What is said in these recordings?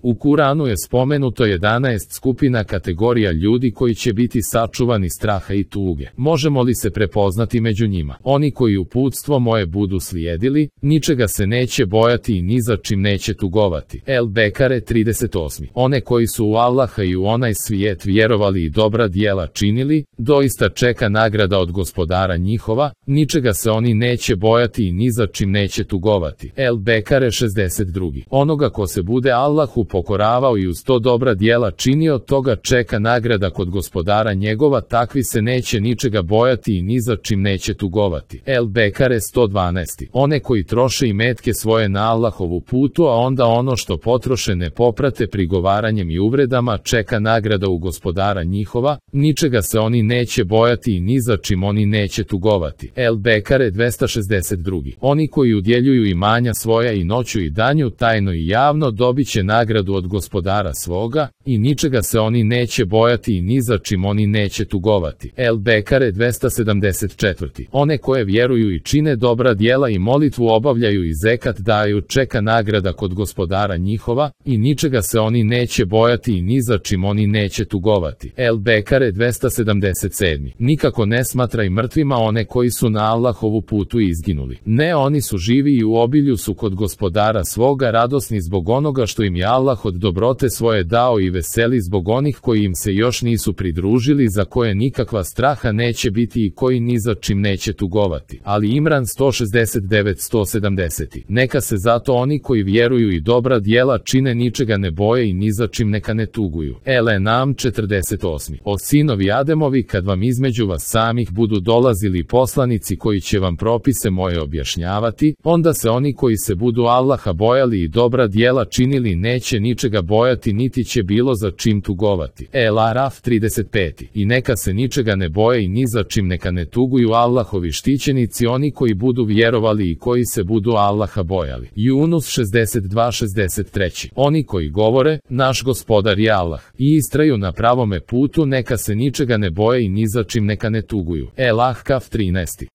U Kuranu je spomenuto 11 skupina kategorija ljudi koji će biti sačuvani straha i tuge. Možemo li se prepoznati među njima? Oni koji uputstvo moje budu slijedili, ničega se neće bojati i ni za čim neće tugovati. El Bekare 38. One koji su u Allaha i u onaj svijet vjerovali i dobra djela činili, doista čeka nagrada od gospodara njihova, ničega se oni neće bojati i ni za čim neće tugovati. El Bekare 62. Onoga ko se bude Allahu pokoravao i uz to dobra djela činio, toga čeka nagrada kod gospodara njegova, takvi se neće ničega bojati i ni za čim neće tugovati. El Bekare 112. One koji troše imetke svoje na Allahovu putu, a onda ono što potroše ne poprate prigovaranjem i uvredama, čeka nagrada u gospodara njihova, ničega se oni neće bojati i ni za čim oni neće tugovati. El Bekare 262. Oni koji udjeljuju imanja svoja i noću i danju, tajno i javno, dobit će nagradu od gospodara svoga, i ničega se oni neće bojati i ni za čim oni neće tugovati. El Bekare 274. One koje vjeruju i čine dobra djela i molitvu obavljaju i zekat daju, čeka nagrada kod gospodara njihova, i ničega se oni neće bojati i ni za čim oni neće tugovati. El Bekare 277. Nikako ne smatraj mrtvima one koji su na Allahovu putu izginuli. Ne, oni su živi i u obilju su kod gospodara svoga, radosni zbog onoga što im je Allah od dobrote svoje dao i veseli zbog onih koji im se još nisu pridružili, za koje nikakva straha neće biti i koji ni za čim neće tugovati. Ali Imran 169-170. Neka se zato oni koji vjeruju i dobra djela čine ničega ne boje i ni za čim neka ne tuguju. El Enam 48. O sinovi Ademovi, kad vam između vas samih budu dolazili poslanici koji će vam propise moje objašnjavati, onda se oni koji se budu Allaha bojali i dobra djela činili neće ničega bojati niti će bilo za čim tugovati. El Araf 35. I neka se ničega ne boje i ni za čim neka ne tuguju Allahovi štićenici, oni koji budu vjerovali i koji se budu Allaha bojali. Yunus 62-63. Oni koji govore, naš gospodar je Allah, i istraju na pravome putu, neka se ničega ne boje i ni za čim neka ne tuguju. El Ahkaf 13.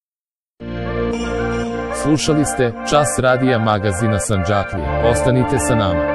Slušali ste Čas radija magazina Sandžaklija. Ostanite sa nama.